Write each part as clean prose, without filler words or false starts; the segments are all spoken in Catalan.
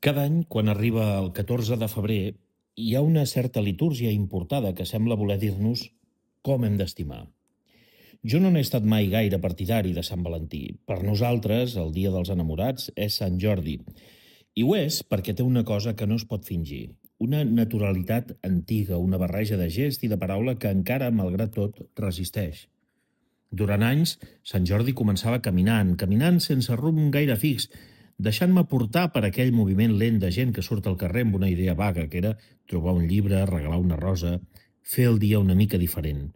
Cada any, quan arriba el 14 de febrer, hi ha una certa litúrgia importada que sembla voler dir-nos com hem d'estimar. Jo no n'he estat mai gaire partidari de Sant Valentí. Per nosaltres, el dia dels enamorats és Sant Jordi. I ho és perquè té una cosa que no es pot fingir. Una naturalitat antiga, una barreja de gest i de paraula que encara, malgrat tot, resisteix. Durant anys, Sant Jordi començava caminant sense rumb gaire fix, deixant-me portar per aquell moviment lent de gent que surt al carrer amb una idea vaga, que era trobar un llibre, regalar una rosa, fer el dia una mica diferent.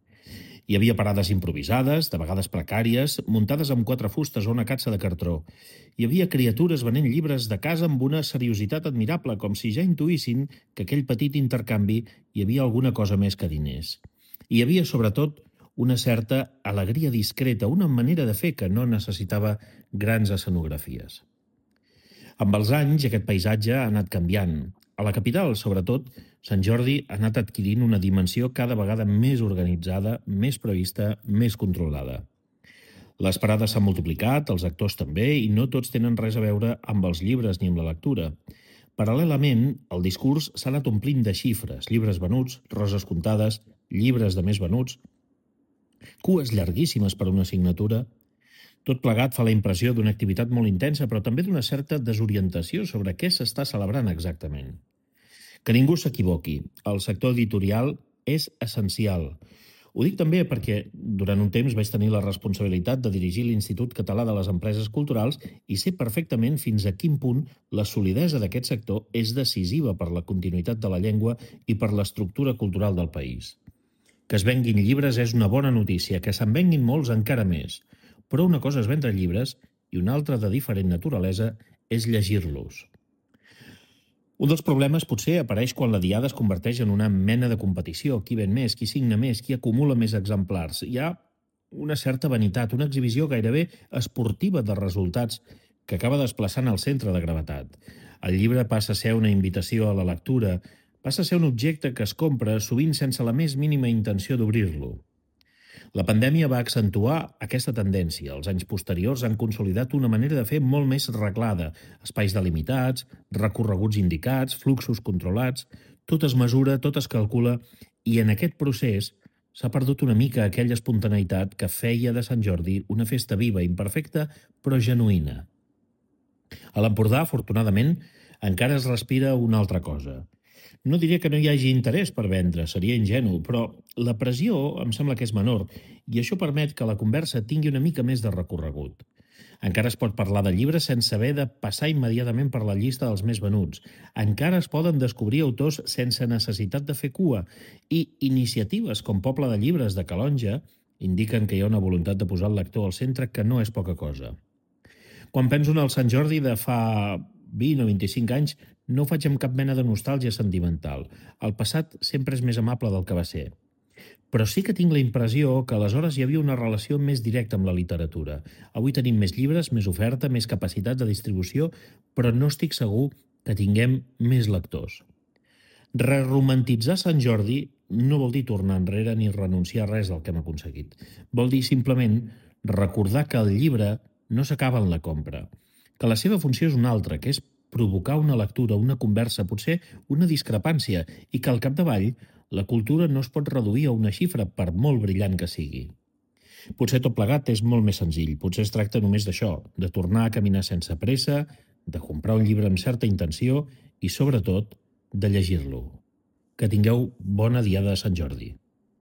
Hi havia parades improvisades, de vegades precàries, muntades amb 4 fustes o una catsa de cartró. Hi havia criatures venent llibres de casa amb una seriositat admirable, com si ja intuïssin que aquell petit intercanvi hi havia alguna cosa més que diners. Hi havia, sobretot, una certa alegria discreta, una manera de fer que no necessitava grans escenografies. Amb els anys, aquest paisatge ha anat canviant. A la capital, sobretot, Sant Jordi ha anat adquirint una dimensió cada vegada més organitzada, més prevista, més controlada. Les parades s'han multiplicat, els actors també, i no tots tenen res a veure amb els llibres ni amb la lectura. Paral·lelament, el discurs s'ha anat omplint de xifres, llibres venuts, roses comptades, llibres de més venuts, cues llarguíssimes per una assignatura. Tot plegat fa la impressió d'una activitat molt intensa, però també d'una certa desorientació sobre què s'està celebrant exactament. Que ningú s'equivoqui, el sector editorial és essencial. Ho dic també perquè durant un temps vaig tenir la responsabilitat de dirigir l'Institut Català de les Empreses Culturals i sé perfectament fins a quin punt la solidesa d'aquest sector és decisiva per la continuïtat de la llengua i per l'estructura cultural del país. Que es venguin llibres és una bona notícia, que se'n venguin molts encara més. Però una cosa és vendre llibres i una altra de diferent naturalesa és llegir-los. Un dels problemes potser apareix quan la diada es converteix en una mena de competició. Qui ven més, qui signa més, qui acumula més exemplars. Hi ha una certa vanitat, una exhibició gairebé esportiva de resultats que acaba desplaçant el centre de gravetat. El llibre passa a ser una invitació a la lectura, passa a ser un objecte que es compra sovint sense la més mínima intenció d'obrir-lo. La pandèmia va accentuar aquesta tendència. Els anys posteriors han consolidat una manera de fer molt més reglada. Espais delimitats, recorreguts indicats, fluxos controlats, tot es mesura, tot es calcula, i en aquest procés s'ha perdut una mica aquella espontaneïtat que feia de Sant Jordi una festa viva, imperfecta, però genuïna. A l'Empordà, afortunadament, encara es respira una altra cosa. No diré que no hi hagi interès per vendre, seria ingenu, però la pressió em sembla que és menor i això permet que la conversa tingui una mica més de recorregut. Encara es pot parlar de llibres sense haver de passar immediatament per la llista dels més venuts. Encara es poden descobrir autors sense necessitat de fer cua i iniciatives com Poble de Llibres de Calonja indiquen que hi ha una voluntat de posar el lector al centre que no és poca cosa. Quan penso en el Sant Jordi de fa 20 o 25 anys, no ho faig amb cap mena de nostàlgia sentimental. El passat sempre és més amable del que va ser. Però sí que tinc la impressió que aleshores hi havia una relació més directa amb la literatura. Avui tenim més llibres, més oferta, més capacitat de distribució, però no estic segur que tinguem més lectors. Reromantitzar Sant Jordi no vol dir tornar enrere ni renunciar a res del que hem aconseguit. Vol dir simplement recordar que el llibre no s'acaba en la compra, que la seva funció és una altra, que és provocar una lectura, una conversa, potser una discrepància, i que al capdavall la cultura no es pot reduir a una xifra per molt brillant que sigui. Potser tot plegat és molt més senzill, potser es tracta només d'això, de tornar a caminar sense pressa, de comprar un llibre amb certa intenció i, sobretot, de llegir-lo. Que tingueu bona diada de Sant Jordi.